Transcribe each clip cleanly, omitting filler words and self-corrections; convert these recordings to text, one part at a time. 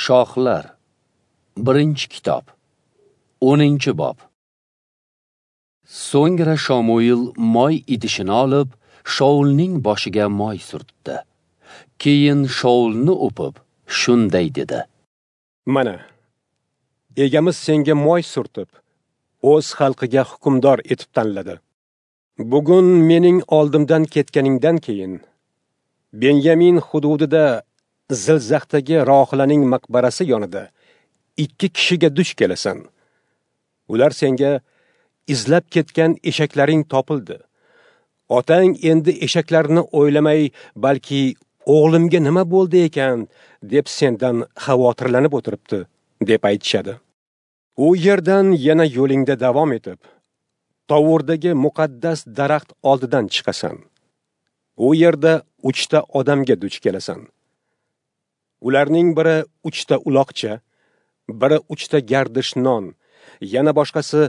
Shohlar. 1-kitob. 10-bob. So'ngra Shomuil moy idishini olib, Shaulning boshiga moy surtdi. Keyin Shaulni o'pib, shunday dedi: Mana, egamiz senga moy surtib, o'z xalqiga hukmdor etib tanladi. Bugun mening oldimdan ketganingdan keyin Benyamin hududida Zilzaxdagi Rohilaning maqbarasi yonida 2 kishiga duch kelasan. Ular senga izlab ketgan eshaklaring topildi. Otang endi eshaklarni o'ylamay, balki o'g'limga nima bo'ldi ekan deb sendan xavotirlanib o'tiribdi, deb aytishadi. U yerdan yana yo'lingda davom etib, Tovurdagi muqaddas daraxt oldidan chiqasan. U yerda 3 ta odamga duch kelasan. Ularning biri 3 ta uloqcha, biri 3 ta gardish non, yana boshqasi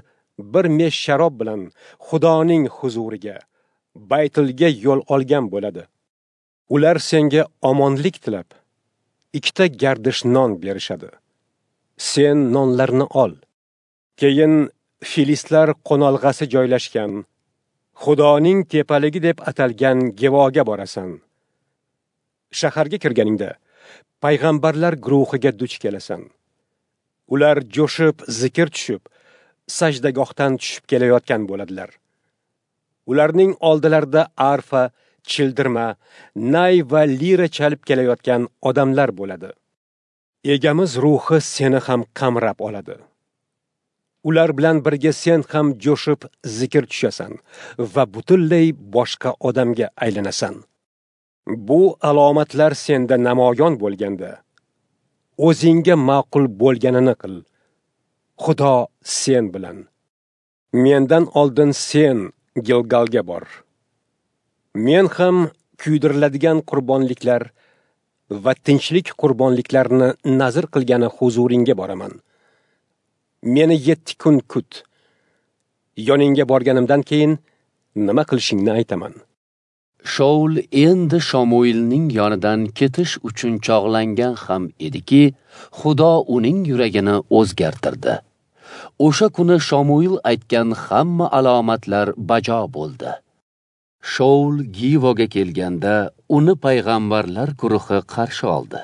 bir mesh sharob bilan Xudoning huzuriga, Baytilga yo'l olgan bo'ladi. Ular senga omonlik tilab, 2 ta gardish non berishadi. Sen nonlarni ol. Keyin Filistlar qo'nalg'asi joylashgan Xudoning tepaligi deb atalgan Gevoga borasan. Shaharga kirganingda payg'ambarlar guruhiga duch kelasan. Ular jo'shib, zikr tushib, sajdagohdan tushib kelayotgan bo'ladilar. Ularning oldilarida arfa, childirma, nay va lira chalib kelayotgan odamlar bo'ladi. Egamiz ruhi seni ham qamrab oladi. Ular bilan birga sen ham jo'shib zikr tushasan va butunlay boshqa odamga aylanasan. Bu alomatlar senda namoyon bo'lganda, o'zingga ma'qul bo'lganini qil. Xudo sen bilan. Mendan oldin sen Gilgalga bor. Men ham kuydiriladigan qurbonliklar va tinchlik qurbonliklarini nazr qilgani huzuringga boraman. Meni 7 kun kut. Yoningga borganimdan keyin nima qilishingni aytaman. Shaul endi Shomuilning yonidan ketish uchun chog'langan ham ediki, Xudo uning yuragini o'zgartirdi. O'sha kuni Shomuil aytgan hamma alomatlar bajo bo'ldi. Shaul Givoga kelganda uni payg'ambarlar guruhi qarshi oldi.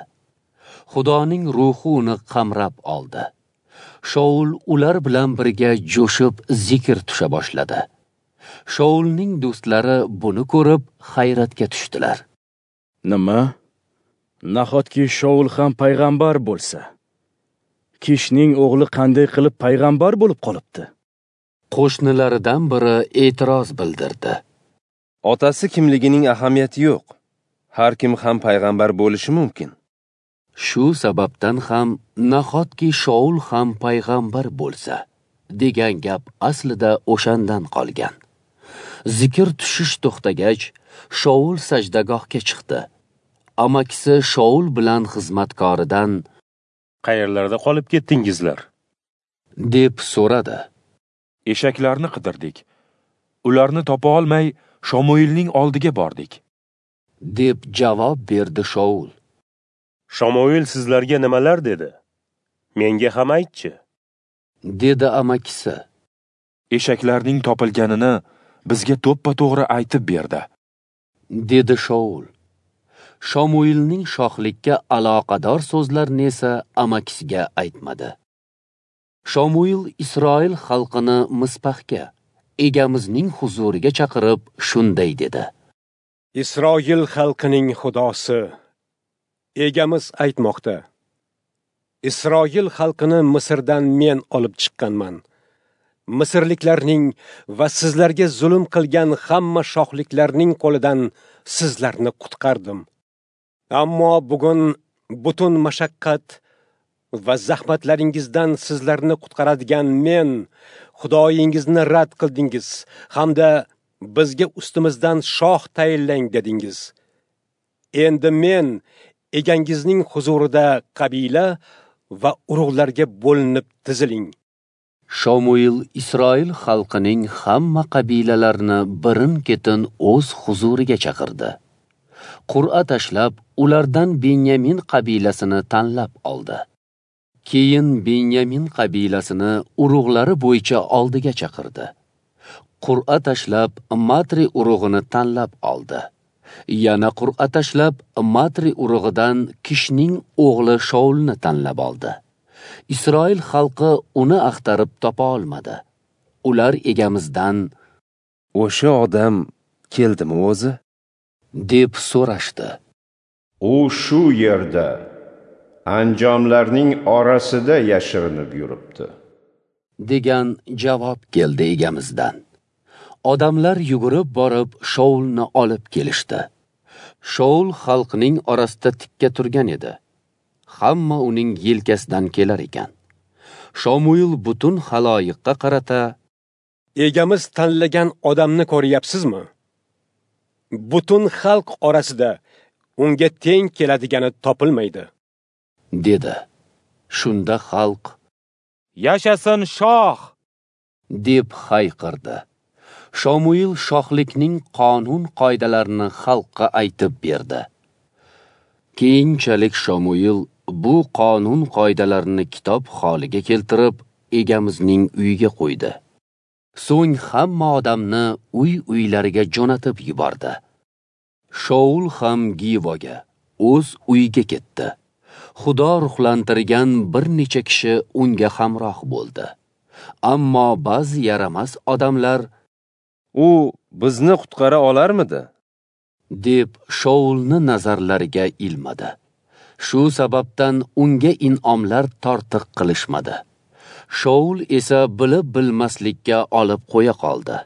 Xudoning ruhi uni qamrab oldi. Shaul ular bilan birga jo'shib zikr tusha boshladi. Shaulning do'stlari buni ko'rib hayratga tushdilar. Nima? Nahotki Shaul ham payg'ambar bo'lsa? Kishning o'g'li qanday qilib payg'ambar bo'lib qolibdi? Qo'shnilaridan biri e'tiroz bildirdi. Otasi kimligining ahamiyati yo'q. Har kim ham payg'ambar bo'lishi mumkin. Shu sababdan ham nahotki Shaul ham payg'ambar bo'lsa degan gap aslida o'shandan qolgan. Zikr tushish to'xtagach, Shaul sajdagohga chiqdi. Amakisi Shaul bilan xizmatkoridan "Qayerlarda qolib ketdingizlar?" deb so'radi. Eshaklarni qidirdik. Ularni topa olmay Shomuilning oldiga bordik, deb javob berdi Shaul. Shomuil sizlarga nimalar dedi? Menga ham aytchi, dedi amakisi. Eshaklarning topilganini bizga to'ppa-to'g'ri aytib berdi, dedi Shaul. Shomuilning shohlikka aloqador so'zlarini esa amakisiga aytmadi. Shomuil Isroil xalqini Mispahga, egamizning huzuriga chaqirib shunday dedi: Isroil xalqining Xudosi egamiz aytmoqda: Isroil xalqini Misrdan men olib chiqqanman. Misrliklarning va sizlarga zulm qilgan hamma shohliklarning qo'lidan sizlarni qutqardim. Ammo bugun butun mashaqqat va zahmatlaringizdan sizlarni qutqaradigan men, Xudoyingizni rad qildingiz hamda bizga ustimizdan shoh tayinlang dedingiz. Endi men egangizning huzurida qabila va urug'larga bo'linib tiziling. Shomuil Isroil xalqining hamma qabilalarini birin-ketin o'z huzuriga chaqirdi. Qur'a tashlab, ulardan Benyamin qabilasini tanlab oldi. Keyin Benyamin qabilasini urug'lari bo'yicha oldiga chaqirdi. Qur'a tashlab Matri urug'ini tanlab oldi. Yana qur'a tashlab Matri urug'idan Kishning o'g'li Shoulni tanlab oldi. Isroil xalqi uni axtarib topa olmadi. Ular egamizdan: "O'sha odam keldimi o'zi?" deb so'rashdi. U shu yerda, anjomlarning orasida yashirinib yuribdi, degan javob keldi egamizdan. Odamlar yugurib borib Shoulni olib kelishdi. Shoul xalqning orasida tikka turgan edi. Hamma uning yelkasidan kelar ekan. Shomuil butun xaloyiqqa qarata: "Egamiz tanlagan odamni ko'ryapsizmi? Butun xalq orasida unga teng keladigani topilmaydi", dedi. Shunda xalq: "Yashasin shoh!" deb hayqirdi. Shomuil shohlikning qonun qoidalarini xalqqa aytib berdi. Keyinchalik Shomuil bu qonun qoidalarini kitob holiga keltirib, egamizning uyiga qo'ydi. So'ng hamma odamni uy-uylariga jo'natib yubordi. Shoul ham Givoga, o'z uyiga ketdi. Xudo ruhlantirgan bir necha kishi unga hamroh bo'ldi. Ammo ba'zi yaramas odamlar: "U bizni qutqara olarmidi?" deb Shoulni nazarlariga ilmadi. Shu sababdan unga in'omlar tortiq qilishmadi. Shoul esa bilib bilmaslikka olib qo'ya qoldi.